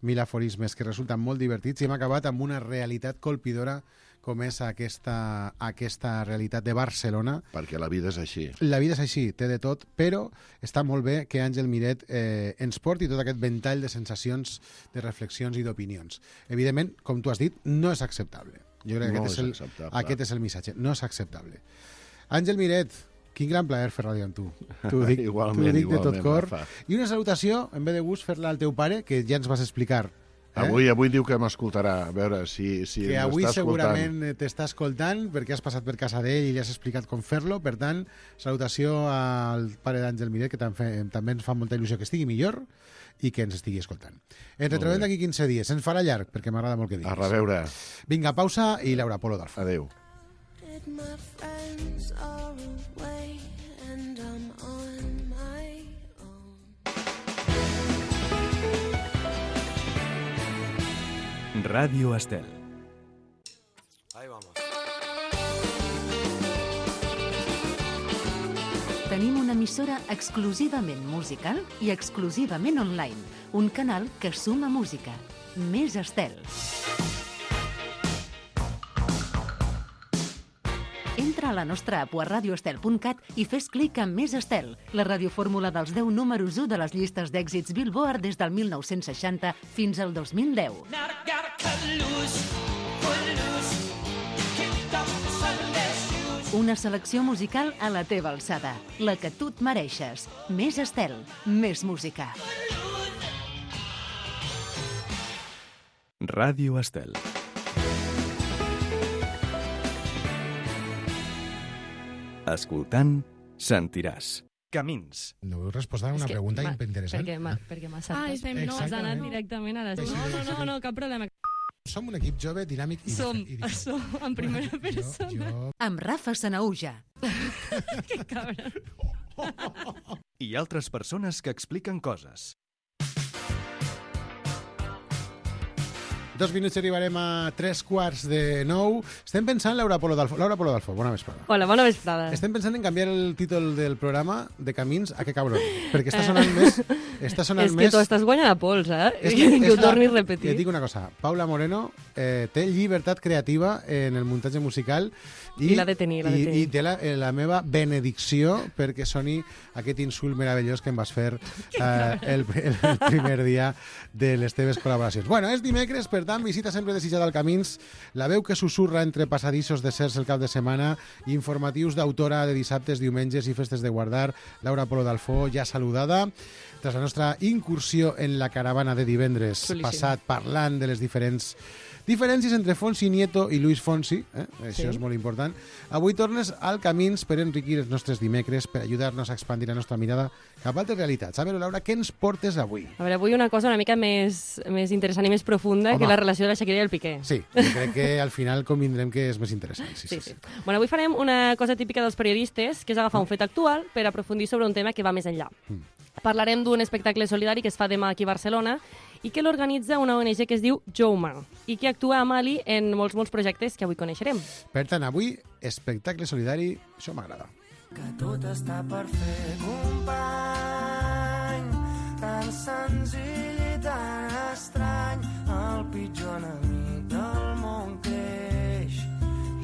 mil aforismes que resulten molt divertits i hem acabat amb una realitat colpidora com és aquesta, aquesta realitat de Barcelona. Perquè la vida és així. La vida és així, té de tot, però està molt bé que Àngel Miret eh, ens porti tot aquest ventall de sensacions, de reflexions i d'opinions. Evidentment, com tu has dit, no és acceptable. Jo crec que no aquest, és és el, acceptable. aquest és el missatge. No és acceptable. Àngel Miret, quin gran plaer fer ràdio amb tu. T'ho dic, igualment, t'ho dic igualment, de tot cor. Rafa. I una salutació, en ve de gust, fer-la al teu pare, que ja ens vas explicar Avui, avui diu que m'escoltarà, a veure si, si que avui m'està segurament escoltant. t'està escoltant perquè has passat per casa d'ell i li has explicat com fer-lo. Per tant, salutació al pare d'Àngel Miret, que també, també ens fa molta il·lusió que estigui millor i que ens estigui escoltant. Ens retrobem d'aquí quinze dies. Ens farà llarg, perquè m'agrada molt que diguis. A reveure. Vinga, pausa i Laura Polo d'Alfo. Adéu. My friends are away and I'm on my own. Ràdio Estel. Ahí vamos. Tenim una emissora exclusivament musical i exclusivament online. Un canal que suma música. Més Estel. Entra a la nostra app o a radioestel punt cat i fes clic en Més Estel, la radiofórmula dels deu números u de les llistes d'èxits Billboard des del mil nou-cents seixanta fins al dos mil deu. Una selecció musical a la teva alçada, la que tu et mereixes. Més Estel, més música. Ràdio Estel. Escoltant, sentiràs. Camins. No heu respost a una que pregunta ma- interessant. Perquè m'ha perquè m'ha saltat. Ah, estem, no, has anat directament a les... Sí, sí, No, no, sí, no, sí. no, cap problema. Som un equip jove, dinàmic i Som, difer- i diferent. som, en primera Bueno, persona. Jo, jo... Amb Rafa Sanauja. Que cabra. I altres persones que expliquen coses. Dos minuts i arribarem a tres quarts de nou. Estem pensant, Laura Polo d'Alfo. Laura Polo d'Alfo, bona vesprada. Hola, bona vesprada. Estem pensant en canviar el títol del programa de Camins a Que cabrón, perquè està sonant més... Està sonant És que més... tu estàs guanyant a pols, eh? És que, és ho la- torni a repetir. Et dic una cosa, Paula Moreno eh, té llibertat creativa en el muntatge musical i, I l'ha de tenir, l'ha de i, tenir. i té la, eh, la meva benedicció perquè soni aquest insult meravellós que em vas fer eh, el, el primer dia de les teves col·laboracions. Bueno, és dimecres, per tant, visita sempre desitjada al Camins, la veu que susurra entre passadissos de certs el cap de setmana, informatius d'autora de dissabtes, diumenges i festes de guardar, Laura Polo d'Alfo, ja saludada, tras la nostra incursió en la caravana de divendres Xulíssim. passat, parlant de les diferents diferències entre Fonsi Nieto i Luis Fonsi, eh? Això Sí. és molt important. Avui tornes al Camins per enriquir els nostres dimecres, per ajudar-nos a expandir la nostra mirada cap a altres realitats. A veure, Laura, què ens portes avui? A veure, avui una cosa una mica més, més interessant i més profunda Home. que la relació de la Shakira i el Piqué. Sí, jo crec que al final convindrem que és més interessant. Sí, sí, sí. sí. Bueno, avui farem una cosa típica dels periodistes, que és agafar un fet actual per aprofundir sobre un tema que va més enllà. Mm. Parlarem d'un espectacle solidari que es fa demà aquí a Barcelona i que l'organitza una O N G que es diu Jouma i que actua a Mali en molts, molts projectes que avui coneixerem. Per tant, avui, espectacle solidari, això m'agrada. Que tot està per fer, company, tan senzill i tan estrany, el pitjor enemic del món creix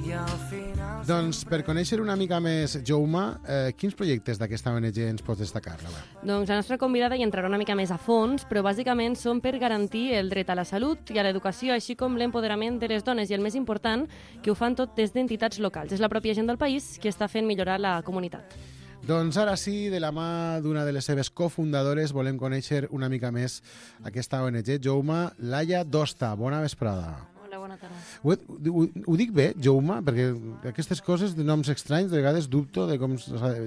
i al final... Doncs, per conèixer una mica més Jouma, eh, quins projectes d'aquesta O N G ens pots destacar, Laura? Doncs la nostra convidada hi entrarà una mica més a fons, però bàsicament són per garantir el dret a la salut i a l'educació, així com l'empoderament de les dones, i el més important, que ho fan tot des d'entitats locals. És la pròpia gent del país que està fent millorar la comunitat. Doncs ara sí, de la mà d'una de les seves cofundadores, volem conèixer una mica més aquesta O N G, Jouma. Laia Dosta, bona vesprada. Hola, bona tarda. Ho, ho, ho dic bé, Jouma? Perquè aquestes coses de noms estranys, de vegades dubto de com...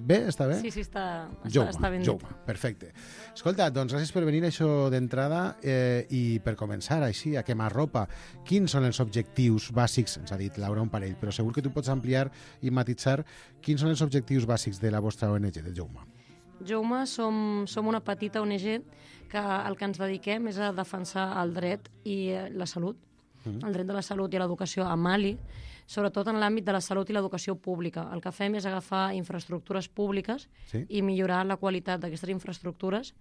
Bé? Està bé? Sí, sí, està, està, Jouma, està ben dit. Jouma, perfecte. Escolta, doncs gràcies per venir això d'entrada eh, i per començar així, a quemarropa. Quins són els objectius bàsics? Ens ha dit Laura un parell, però segur que tu pots ampliar i matitzar quins són els objectius bàsics de la vostra O N G, de Jouma. Jouma som, som una petita O N G que el que ens dediquem és a defensar el dret i eh, la salut, mm. el dret de la salut i l'educació a Mali, sobretot en l'àmbit de la salut i l'educació pública. El que fem és agafar infraestructures públiques Sí. i millorar la qualitat d'aquestes infraestructures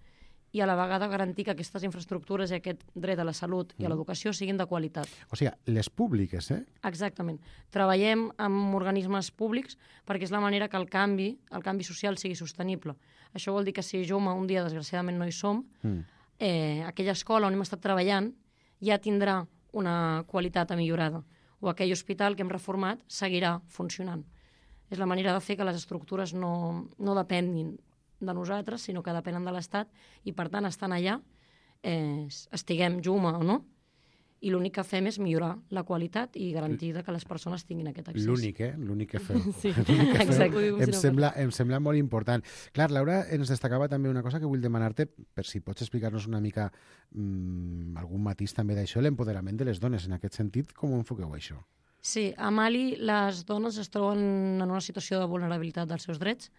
i a la vegada garantir que aquestes infraestructures i aquest dret a la salut i a l'educació siguin de qualitat. O sigui, les públiques, eh? Exactament. Treballem amb organismes públics perquè és la manera que el canvi, el canvi social sigui sostenible. Això vol dir que si Jouma un dia, desgraciadament, no hi som, Mm. eh, aquella escola on hem estat treballant ja tindrà una qualitat millorada. O aquell hospital que hem reformat seguirà funcionant. És la manera de fer que les estructures no, no depenguin de nosaltres, sinó que depenen de l'Estat i, per tant, estan allà, eh, estiguem Jouma o no, i l'únic que fem és millorar la qualitat i garantir que les persones tinguin aquest accés. L'únic, eh? L'únic que feu. Sí, L'únic que feu. exacte. Em sembla, em sembla molt important. Clar, Laura ens destacava també una cosa que vull demanar-te, per si pots explicar-nos una mica mmm, algun matís també d'això, l'empoderament de les dones. En aquest sentit, com ho enfoqueu això? Sí, a Mali les dones es troben en una situació de vulnerabilitat dels seus drets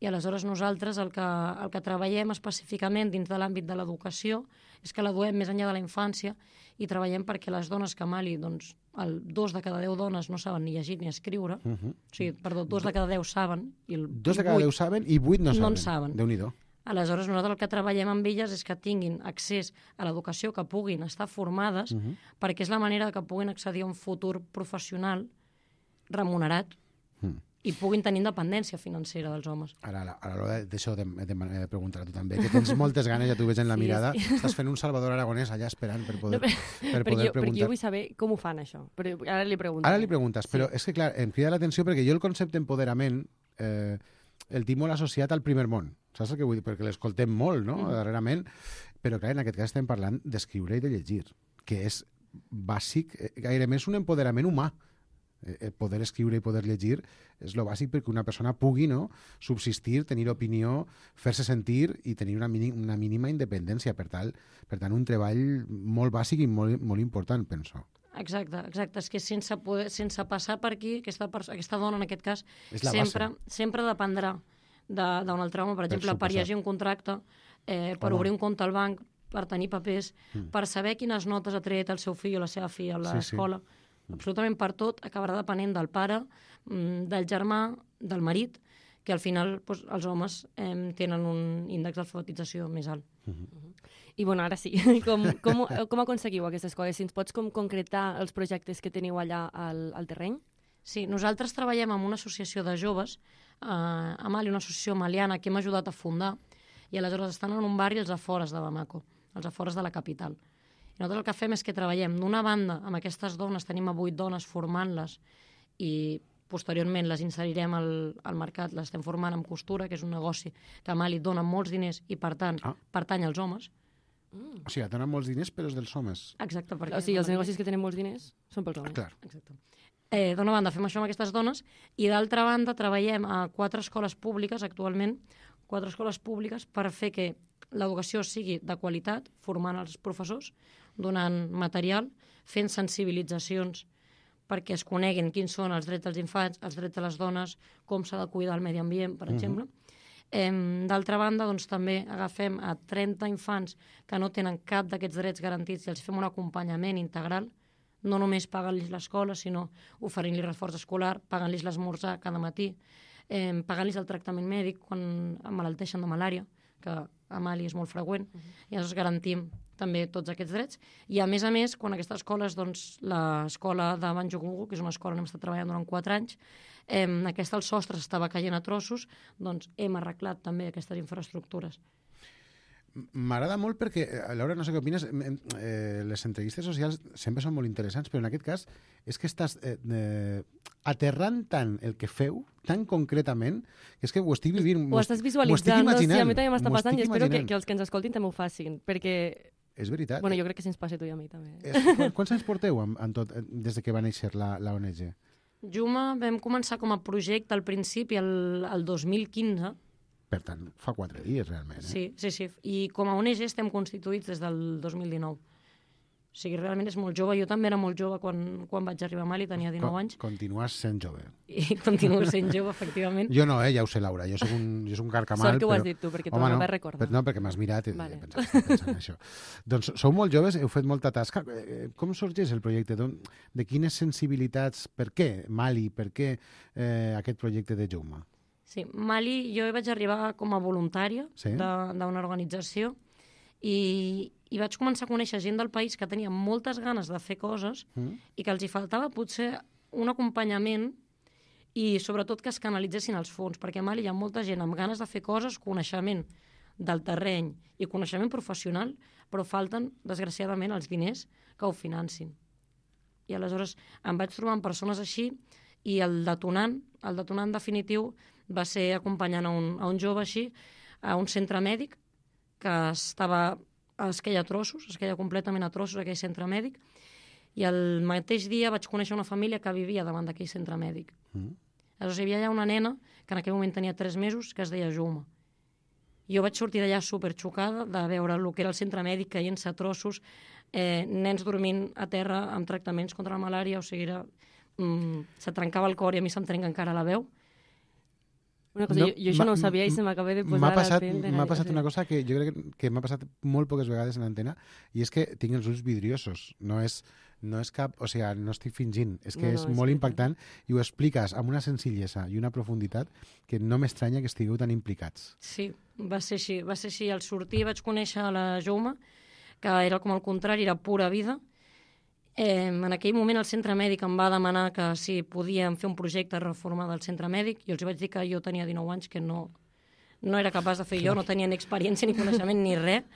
i aleshores nosaltres el que, el que treballem específicament dins de l'àmbit de l'educació és que la duem més enllà de la infància i treballem perquè les dones que a Mali, doncs, el dos de cada deu dones no saben ni llegir ni escriure, uh -huh. o sigui, perdó, dos de cada deu saben i el dos de cada deu saben i vuit no saben. No en saben. Déu-n'hi-do. Aleshores, nosaltres el que treballem amb elles és que tinguin accés a l'educació, que puguin estar formades, uh -huh. perquè és la manera que puguin accedir a un futur professional remunerat uh-huh. i puguin tenir independència financera dels homes. Ara, a l'hora d'això de, de, de preguntar a tu també, que tens moltes ganes, ja t'ho veig en la Sí, mirada, sí. estàs fent un Salvador Aragonès allà esperant per poder, No, però, per perquè, poder jo, perquè preguntar. jo vull saber com ho fan, això. Però ara li pregunto. Ara li preguntes, però és que, clar, em crida l'atenció perquè jo el concepte empoderament eh, el tinc molt associat al primer món. Saps el que vull dir? Perquè l'escoltem molt, no?, mm. darrerament. Però, clar, en aquest cas estem parlant d'escriure i de llegir, que és bàsic, eh, gairebé és un empoderament humà. Eh, poder escriure i poder llegir és lo bàsic perquè una persona pugui, no?, subsistir, tenir opinió, fer-se sentir i tenir una, mínim, una mínima independència. Per tant, per tant, un treball molt bàsic i molt, molt important, penso. Exacte, exacte. És que sense, poder, sense passar per aquí, aquesta, aquesta dona, en aquest cas, és la sempre, base. sempre dependrà d'un altre home. Per exemple, per, per llegir un contracte, eh, per Home. obrir un compte al banc, per tenir papers, Mm. per saber quines notes ha tret el seu fill o la seva filla a l'escola. Sí, sí. Absolutament per tot acabarà depenent del pare, mm, del germà, del marit, que al final doncs, els homes eh, tenen un índex d'alfabetització més alt. Mm-hmm. I bueno, ara sí, com, com, com aconseguiu aquestes coses? Si ens pots com concretar els projectes que teniu allà al, al terreny? Sí, nosaltres treballem amb una associació de joves, eh, a Mali, una associació maliana que hem ajudat a fundar, i aleshores estan en un barri als afores de Bamako, als afores de la capital. I nosaltres el que fem és que treballem d'una banda amb aquestes dones, tenim a vuit dones formant-les i posteriorment les inserirem al, al mercat, les estem formant amb costura, que és un negoci que a Mali dona molts diners i per tant Ah. pertany als homes. O sigui, donen molts diners, però és dels homes. Exacte. Perquè O sigui, els negocis que tenen molts diners són pels homes. Clar. Exacte. Eh, D'una banda fem això amb aquestes dones i d'altra banda treballem a quatre escoles públiques actualment, quatre escoles públiques per fer que l'educació sigui de qualitat, formant els professors, donant material, fent sensibilitzacions perquè es coneguin quins són els drets dels infants, els drets de les dones, com s'ha de cuidar el medi ambient, per Mhm. exemple. Eh, D'altra banda, doncs, també agafem a trenta infants que no tenen cap d'aquests drets garantits i els fem un acompanyament integral, no només pagant-los l'escola, sinó oferint-los reforç escolar, pagant-los l'esmorzar cada matí, eh, pagant-los el tractament mèdic quan emmalalteixen de malària, que a Mali és molt freqüent, uh -huh. i llavors garantim també tots aquests drets. I a més a més, quan aquestes escoles, doncs, l'escola de Banjogungu, que és una escola on hem estat treballant durant quatre anys, eh, aquesta, el sostre s'estava caient a trossos, doncs hem arreglat també aquestes infraestructures. M'agrada molt perquè, eh, Laura, no sé què opines, eh, les entrevistes socials sempre són molt interessants, però en aquest cas és que estàs eh, eh, aterrant tant el que feu, tan concretament, que és que ho estic vivint. Ho estàs visualitzant, no? Sí, a mi també m'està passant i espero que, que els que ens escoltin també ho facin, perquè... És veritat. Bueno, jo crec que si ens passa a tu i a mi també. És, quants anys porteu en, en tot, des de que va néixer la, la O N G? Juma vam començar com a projecte al principi, el, el dos mil quinze. Per tant, fa quatre dies, realment. Eh? Sí, sí, sí. I com a O N G estem constituïts des del dos mil dinou. O sigui, realment és molt jove. Jo també era molt jove quan, quan vaig arribar a Mali, tenia dinou Con, anys. Continues sent jove. I continuo sent jove, efectivament. Jo no, eh, ja ho sé, Laura. Jo soc un, jo soc un carcamal. Sort que ho però... has dit tu, perquè tu Home, no no, vas recordar. Per, no, perquè m'has mirat i Vale. he pensat, estic pensant en això. Doncs sou molt joves, heu fet molta tasca. Eh, Com sorgeix el projecte? De quines sensibilitats? Per què Mali? Per què eh, aquest projecte de Juma? Sí, Mali, jo vaig arribar com a voluntària Sí? d'una organització i, i vaig començar a conèixer gent del país que tenia moltes ganes de fer coses Mm? i que els hi faltava potser un acompanyament i sobretot que es canalitzessin els fons, perquè a Mali hi ha molta gent amb ganes de fer coses, coneixement del terreny i coneixement professional, però falten, desgraciadament, els diners que ho financin. I aleshores em vaig trobar amb persones així i el detonant, el detonant definitiu va ser acompanyant a un, a un jove així a un centre mèdic que estava, es queia a trossos, es queia completament a trossos aquell centre mèdic, I el mateix dia vaig conèixer una família que vivia davant d'aquell centre mèdic. Mm. Aleshores, hi havia allà una nena que en aquell moment tenia tres mesos, que es deia Juma. Jo vaig sortir d'allà superxocada de veure el que era el centre mèdic caient-se a trossos, eh, nens dormint a terra amb tractaments contra la malària, o sigui, era, mm, se trencava el cor i a mi se'm trenca encara la veu. Una cosa, no, jo, jo això no ho sabia i se m'acaba de posar... M'ha passat, la m'ha passat una cosa que jo crec que, que m'ha passat molt poques vegades en antena, i és que tinc els ulls vidriosos. No és, no és cap... O sigui, no estic fingint. És que no, no, és, és molt que... impactant i ho expliques amb una senzillesa i una profunditat que no m'estranya que estigueu tan implicats. Sí, va ser així. Va ser així. Al sortir vaig conèixer la Jaume, que era com al contrari, era pura vida. Eh, en aquell moment el centre mèdic em va demanar que si podíem fer un projecte de reforma del centre mèdic, i els vaig dir que jo tenia dinou anys, que no, no era capaç de fer jo, no tenia ni experiència ni coneixement ni res,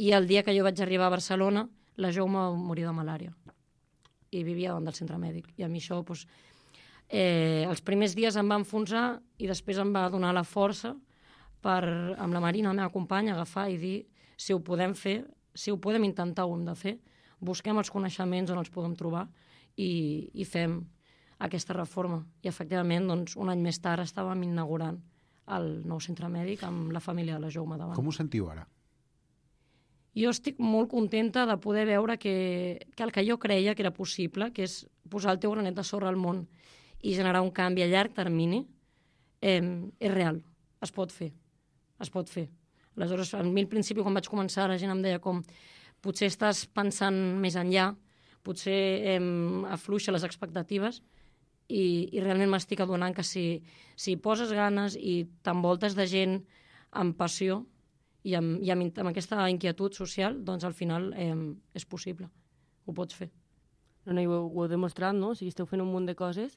i el dia que jo vaig arribar a Barcelona, la Jaume va morir de malària i vivia davant del centre mèdic, i a mi això doncs, eh, els primers dies em va enfonsar i després em va donar la força per, amb la Marina, la meva companya, agafar i dir si ho podem fer, si ho podem intentar, ho hem de fer, busquem els coneixements on els podem trobar i, i fem aquesta reforma. I, efectivament, doncs, un any més tard estàvem inaugurant el nou centre mèdic amb la família de la Jaume davant. Com ho sentiu ara? Jo estic molt contenta de poder veure que, que el que jo creia que era possible, que és posar el teu granet de sorra al món i generar un canvi a llarg termini, eh, és real. Es pot fer. Es pot fer. Aleshores, a mi al principi, quan vaig començar, la gent em deia com potser estàs pensant més enllà, potser eh, afluixa les expectatives i, i realment m'estic adonant que si, si poses ganes i t'envoltes de gent amb passió i amb, i amb, amb aquesta inquietud social, doncs al final eh, és possible, ho pots fer. No, no, i ho, ho heu demostrat, no? O sigui, esteu fent un munt de coses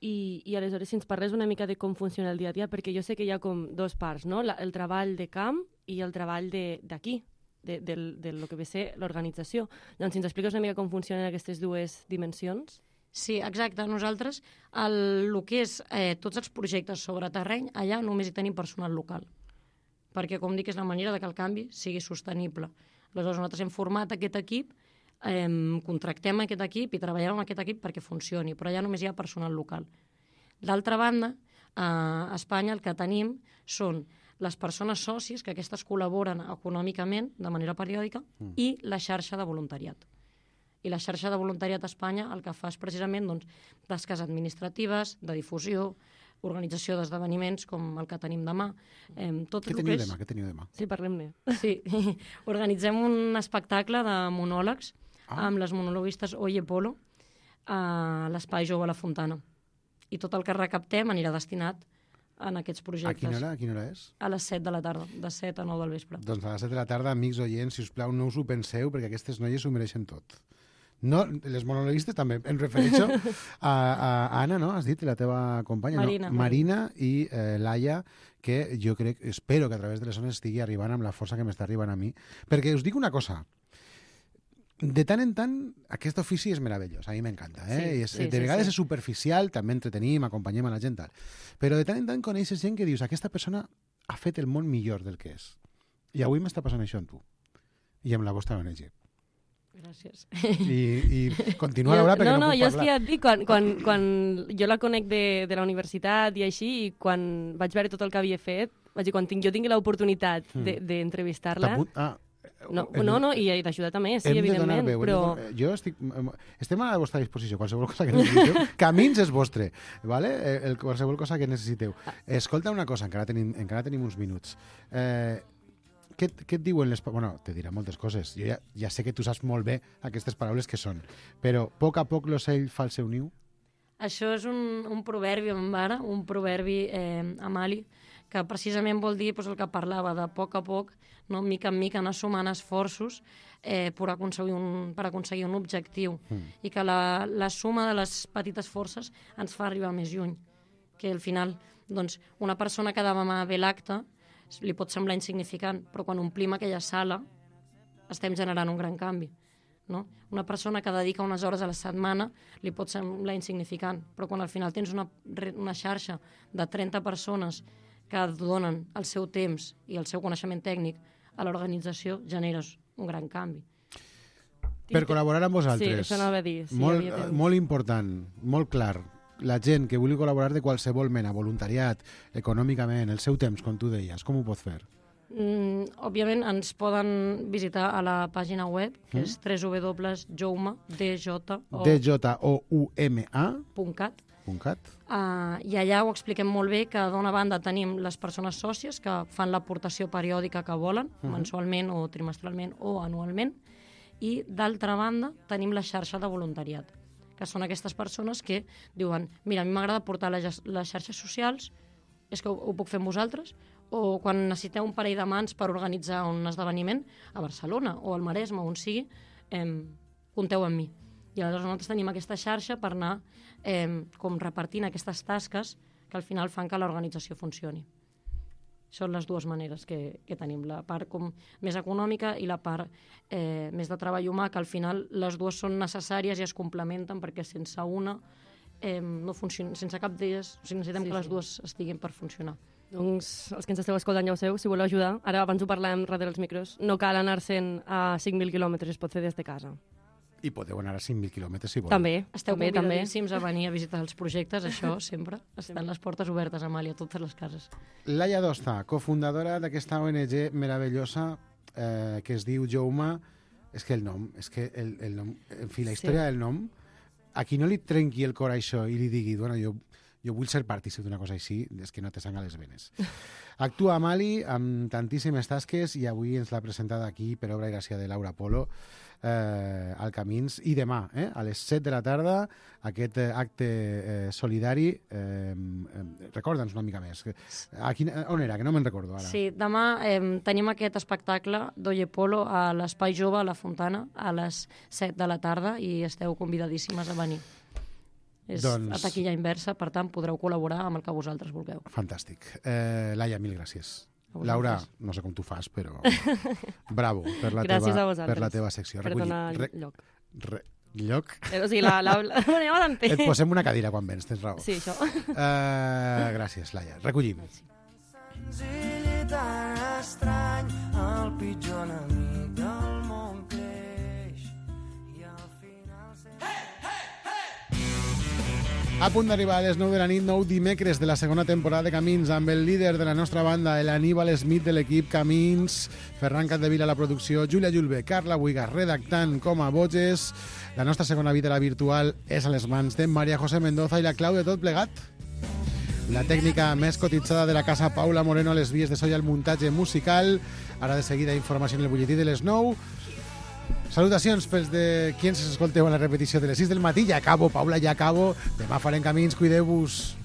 i, i aleshores si ens parles una mica de com funciona el dia a dia, perquè jo sé que hi ha com dos parts, no? La, el treball de camp i el treball d'aquí. De, de, de lo que ve ser l'organització. Doncs si ens expliques una mica com funcionen aquestes dues dimensions. Sí, exacte. Nosaltres, el, el que és eh, tots els projectes sobre terreny, allà només hi tenim personal local. Perquè, com dic, és la manera de que el canvi sigui sostenible. Aleshores, nosaltres hem format aquest equip, eh, contractem aquest equip i treballem amb aquest equip perquè funcioni, però allà només hi ha personal local. D'altra banda, a Espanya el que tenim són les persones sòcies, que aquestes col·laboren econòmicament de manera periòdica, mm. i la xarxa de voluntariat. I la xarxa de voluntariat a Espanya el que fa és precisament doncs, tasques administratives, de difusió, organització d'esdeveniments com el que tenim demà. Eh, tot Què teniu és... demà? Què teniu demà? Sí, parlem-ne. Sí, organitzem un espectacle de monòlegs ah. amb les monologuistes Oye Polo a l'Espai Jove a la Fontana. I tot el que recaptem anirà destinat en aquests projectes. A quina hora, a quina hora és? A les set de la tarda, de set a nou del vespre. Doncs a les set de la tarda, amics oients, si us plau, no us ho penseu, perquè aquestes noies s'ho mereixen tot. No, les monologuistes també, em refereixo a, a Anna, no? Has dit, la teva companya, Marina. No? Marina i eh, Laia, que jo crec, espero que a través de les zones estigui arribant amb la força que m'està arribant a mi. Perquè us dic una cosa, de tant en tant, aquest ofici és meravellós, a mi m'encanta. Eh? Sí, és, sí, de vegades sí, sí. és superficial, també entretenim, acompanyem a la gent, tal. Però de tant en tant coneixes gent que dius aquesta persona ha fet el món millor del que és. I avui m'està passant això amb tu. I amb la vostra O N G. Gràcies. I, i continua, Laura, perquè no, no, no puc jo parlar. és que ja et dic, quan, quan, quan jo la conec de, de la universitat i així, i quan vaig veure tot el que havia fet, vaig dir, quan tinc, jo tingui l'oportunitat mm. d'entrevistar-la... De, ah, No, no, no, i d'ajudar també, sí, hem evidentment, veu, però... De, jo estic... Estem a la vostra disposició, qualsevol cosa que necessiteu. Camins és vostre, ¿vale? El, qualsevol cosa que necessiteu. Escolta una cosa, encara tenim, encara tenim uns minuts. Eh, què, què et diuen les... Bueno, te dirà moltes coses. Jo ja, ja sé que tu saps molt bé aquestes paraules que són, però a poc a poc l'ocell fa el seu niu? Això és un, un proverbi en mare, un proverbi eh, a Mali, que precisament vol dir doncs, el que parlava de poc a poc, no, mica en mica anar sumant esforços eh, per, aconseguir un, per aconseguir un objectiu mm. i que la, la suma de les petites forces ens fa arribar més lluny. Que al final doncs, una persona que demà ve l'acte li pot semblar insignificant, però quan omplim aquella sala estem generant un gran canvi. No? Una persona que dedica unes hores a la setmana li pot semblar insignificant, però quan al final tens una, una xarxa de trenta persones que donen el seu temps i el seu coneixement tècnic a l'organització, generes un gran canvi. Per col·laborar amb vosaltres. Sí, això anava a dir. Sí, molt, havia temps. molt important, molt clar. La gent que vulgui col·laborar de qualsevol mena, voluntariat, econòmicament, el seu temps, com tu deies, com ho pot fer? Mm, òbviament ens poden visitar a la pàgina web, que Mm. és w w w punt jouma D J O U M A punt cat. punt cat. Uh, I allà ho expliquem molt bé, que d'una banda tenim les persones sòcies que fan l'aportació periòdica que volen, Mhm. mensualment o trimestralment o anualment, i d'altra banda tenim la xarxa de voluntariat, que són aquestes persones que diuen, mira, a mi m'agrada portar les, les xarxes socials, és que ho, ho puc fer amb vosaltres, o quan necessiteu un parell de mans per organitzar un esdeveniment a Barcelona o al Maresme, on sigui, eh, compteu amb mi. I aleshores nosaltres tenim aquesta xarxa per anar eh, com repartint aquestes tasques que al final fan que l'organització funcioni. Són les dues maneres que, que tenim, la part com més econòmica i la part eh, més de treball humà, que al final les dues són necessàries i es complementen, perquè sense una eh, no funciona, sense cap d'elles, o sigui, necessitem Sí, que les sí. dues estiguin per funcionar. Doncs els que ens esteu escoltant ja ho sabeu, si voleu ajudar, ara abans ho parlàvem darrere els micros, no cal anar-se'n a cinc mil quilòmetres, es pot fer des de casa. I podeu anar a cinc mil quilòmetres si voleu. També, Esteu també, també. convidadíssims a venir a visitar els projectes, això sempre. Estan les portes obertes, Amàlia, a totes les cases. Laia Dosta, cofundadora d'aquesta O N G meravellosa eh, que es diu Jouma. És que el nom, és que el, el nom, en fi, la història Sí. del nom, a qui no li trenqui el cor a això i li digui, bueno, jo, jo vull ser partícip d'una cosa així, és que no te sang a les venes. Actua a Mali amb tantíssimes tasques i avui ens l'ha presentada aquí per obra i gràcia de Laura Polo eh, al Camins, i demà, eh, a les set de la tarda, aquest eh, acte eh, solidari. Eh, eh, Recorda'ns una mica més. A quin, on era? Que no me'n recordo ara. Sí, demà eh, tenim aquest espectacle d'Oye Polo a l'Espai Jove a la Fontana a les set de la tarda i esteu convidadíssimes a venir. És Doncs- a taquilla inversa, per tant podreu col·laborar amb el que vosaltres vulgueu. Fantàstic. Eh, Laia, mil gràcies. A vosaltres. Laura, no sé com tu fas, però bravo per la, Gràcies teva, a vosaltres per la teva secció. per Recollit. donar Re, lloc. re, lloc? Eh, o sigui, la, la, la, anem adelante. Et posem una cadira quan vens, tens raó. Sí, això. Eh, gràcies, Laia. Recollim. senzill i tan estrany, el pitjor enemic del món creix i al final sempre... A punt d'arribar a les nou de la nit, nou dimecres de la segona temporada de Camins, amb el líder de la nostra banda, l'Aníbal Smith de l'equip Camins, Ferran Capdevila a la producció, Júlia Julbe, Carla Buigas redactant com a boges. La nostra segona vida, la virtual, és a les mans de Maria José Mendoza i la clau de tot plegat. La tècnica més cotitzada de la casa, Paula Moreno, a les vies de so i al muntatge musical. Ara de seguida informació en el butlletí de les nou. Salutacions pels de qui ens escolteu en la repetició de les sis del matí. Ja acabo, Paula, ja acabo. Demà farem Camins, cuideu-vos.